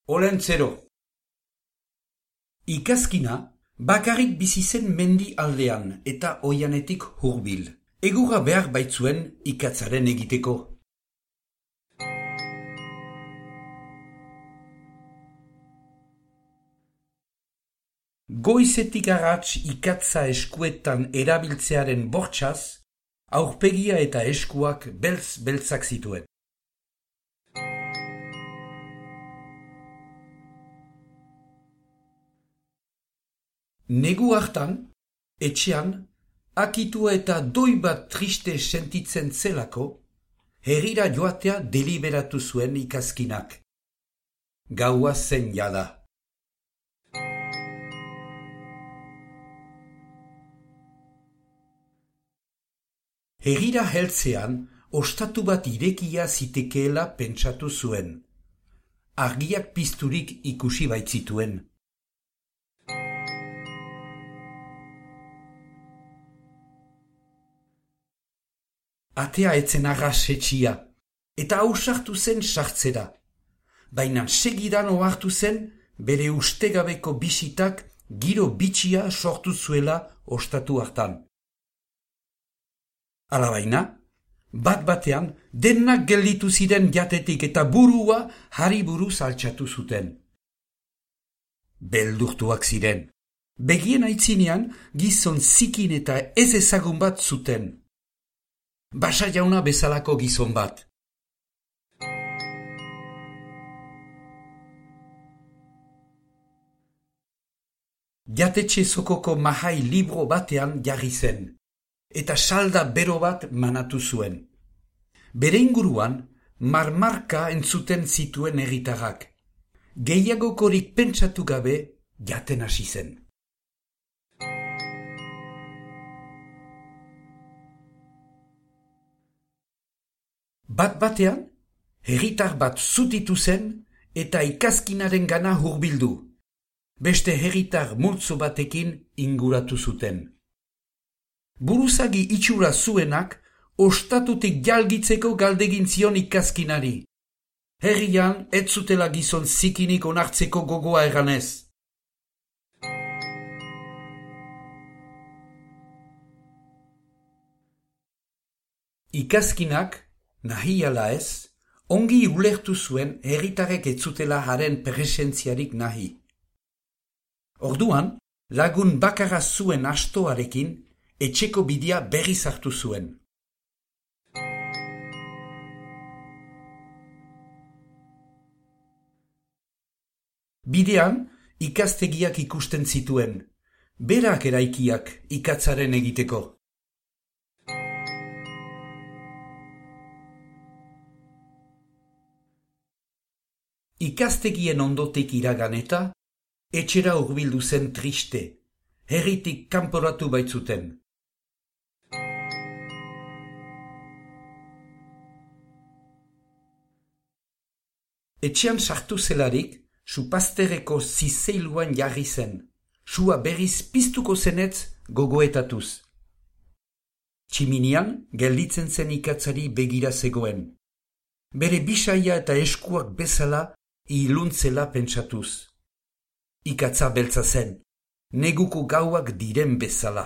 Olentzero. Ikazkina bakarrik bizi zen mendi aldean eta oianetik hurbil. Egurra behar baitzuen ikatzaren egiteko. Goizetik arrats ikatza eskuetan erabiltzearen bortxaz, aurpegia eta eskuak beltz-beltzak zituen. Negu hartan, etxean, akitua eta doi bat triste sentitzen zelako, herrira joatea deliberatu zuen ikazkinak. Gaua zen jada. Herrira heltzean, ostatu bat irekia zitekeela pentsatu zuen. Argiak pizturik ikusi baitzituen. Atea etzen arras etxia, eta ausartu zen sartzera. Baina segidan ohartu zen bere ustegabeko bisitak giro bitxia sortu zuela ostatu hartan. Alabaina, bat-batean denak gelditu ziren jatetik eta burua hariburu altxatu zuten. Beldurtuak ziren. Begien aitzinean gizon zikin eta ez ezagun bat zuten. Basa jauna bezalako gizon bat. Jatetxe zokoko mahai libro batean jarri zen, eta salda bero bat manatu zuen. Bere inguruan, marmarka entzuten zituen herritarrak. Gehiagokorik pentsatu gabe jaten hasi zen. Bat-batean, herritar bat zutitu zen eta ikazkinaren gana hurbildu. Beste herritar multzo batekin inguratu zuten. Buruzagi itxura zuenak ostatutik jalgitzeko galdegin zion ikazkinari. Herrian ez zutela gizon zikinik onartzeko gogoa eganez. Ikazkinak, nahi ala ez, ongi ulertu zuen herritarek ez zutela haren presentziarik nahi. Orduan, lagun bakarra zuen astoarekin, etxeko bidea berriz hartu zuen. Bidean, ikastegiak ikusten zituen, berak eraikiak ikatzaren egiteko. Ikastegien ondotik iragan eta, etxera hurbildu zen triste, herritik kanporatu baitzuten. Etxean sartu zelarik, supazterreko zizeiluan jarri zen, sua berriz piztuko zenetz gogoetatuz. Tximinian gelditzen zen ikatzari begira zegoen. Bere bisaia eta eskuak bezala iluntzela pentsatuz. Ikatza beltza zen, neguko gauak diren bezala.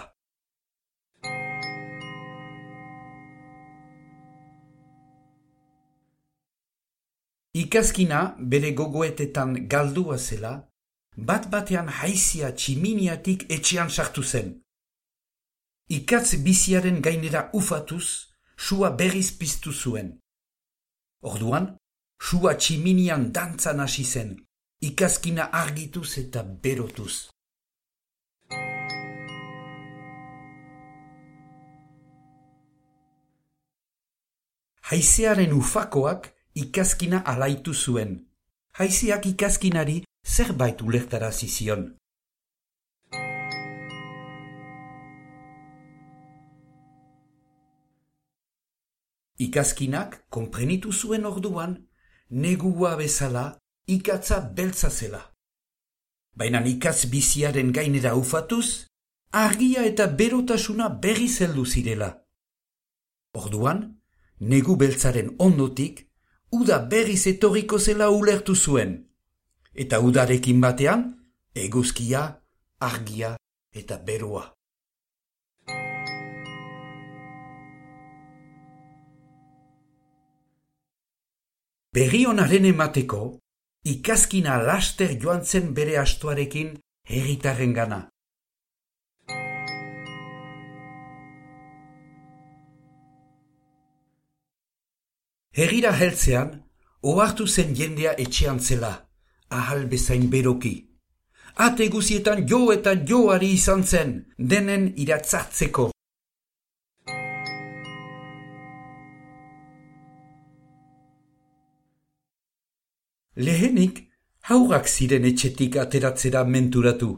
Ikazkina bere gogoetetan galdua zela, bat-batean haizia tximiniatik etxean sartu zen. Ikatz biziaren gainera ufatuz, sua berriz piztu zuen. Orduan, sua tximinian dantzan hasi zen, ikazkina argituz eta berotuz. Haizearen ufakoak ikazkina alaitu zuen. Haizeak ikazkinari zerbait ulertarazi zion. Ikazkinak konprenitu zuen orduan, negua bezala ikatza beltza zela. Baina ikatz biziaren gainera ufatuz, argia eta berotasuna berriz heldu zirela. Orduan, negu beltzaren ondotik, uda berriz etorriko zela ulertu zuen. eta udarekin batean, eguzkia, argia eta beroa. Berri onaren emateko, ikaskina laster joan zen bere astoarekin herritarren gana. Herrira heltzean, ohartu zen jendea etxean zela, ahal bezain beroki. Ate guzietan jo eta joari izan zen, denen iratzartzeko. Lehenik, haurrak ziren etxetik ateratzera menturatu.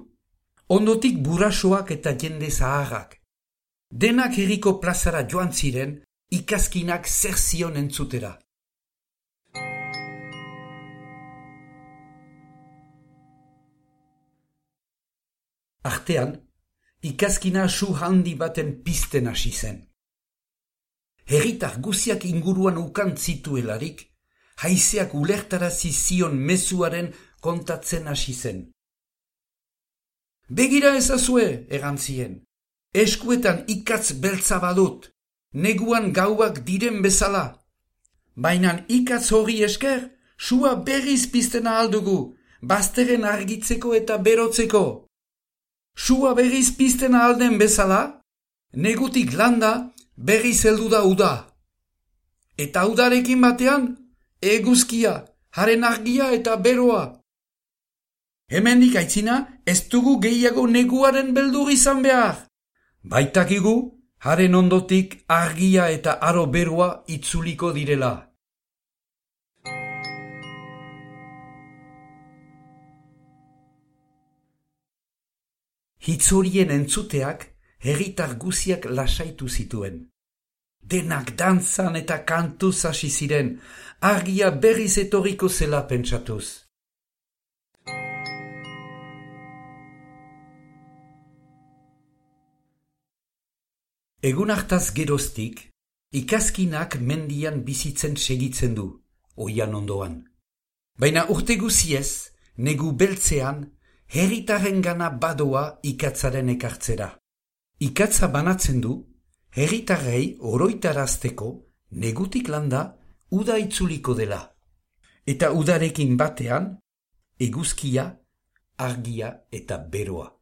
Ondotik burasoak eta jende zaharrak. Denak herriko plazara joan ziren, ikaskinak zer zion entzutera. Artean, ikaskina su handi baten pizten hasi zen. Herritar guziak inguruan ukan zituelarik, haizeak ulertarazi zion mezuaren kontatzen hasi zen. Begira ezazue, erantzien, eskuetan ikatz beltza badut, neguan gauak diren bezala. Bainan ikatz hori esker, sua berriz piztena aldugu, bazteren argitzeko eta berotzeko. Sua berriz piztena alden bezala, negutik landa berriz heldu da uda. Eta udarekin batean, eguzkia, haren argia eta beroa. Hemendik aitzina, ez dugu gehiago neguaren beldur izan behar. Baitakigu, haren ondotik argia eta aro beroa itzuliko direla. Hitz horien entzuteak, herritar guziak lasaitu zituen. Denak dantzan eta kantuz hasi ziren, argia berriz etorriko zela pentsatuz. Egun hartaz geroztik, ikaskinak mendian bizitzen segitzen du, oian ondoan. Baina urte guziez, negu beltzean, herritarren gana badoa ikatzaren ekartzera. Ikatza banatzen du, herritarrei oroitarazteko negutik landa uda itzuliko dela. Eta udarekin batean, eguzkia, argia eta beroa.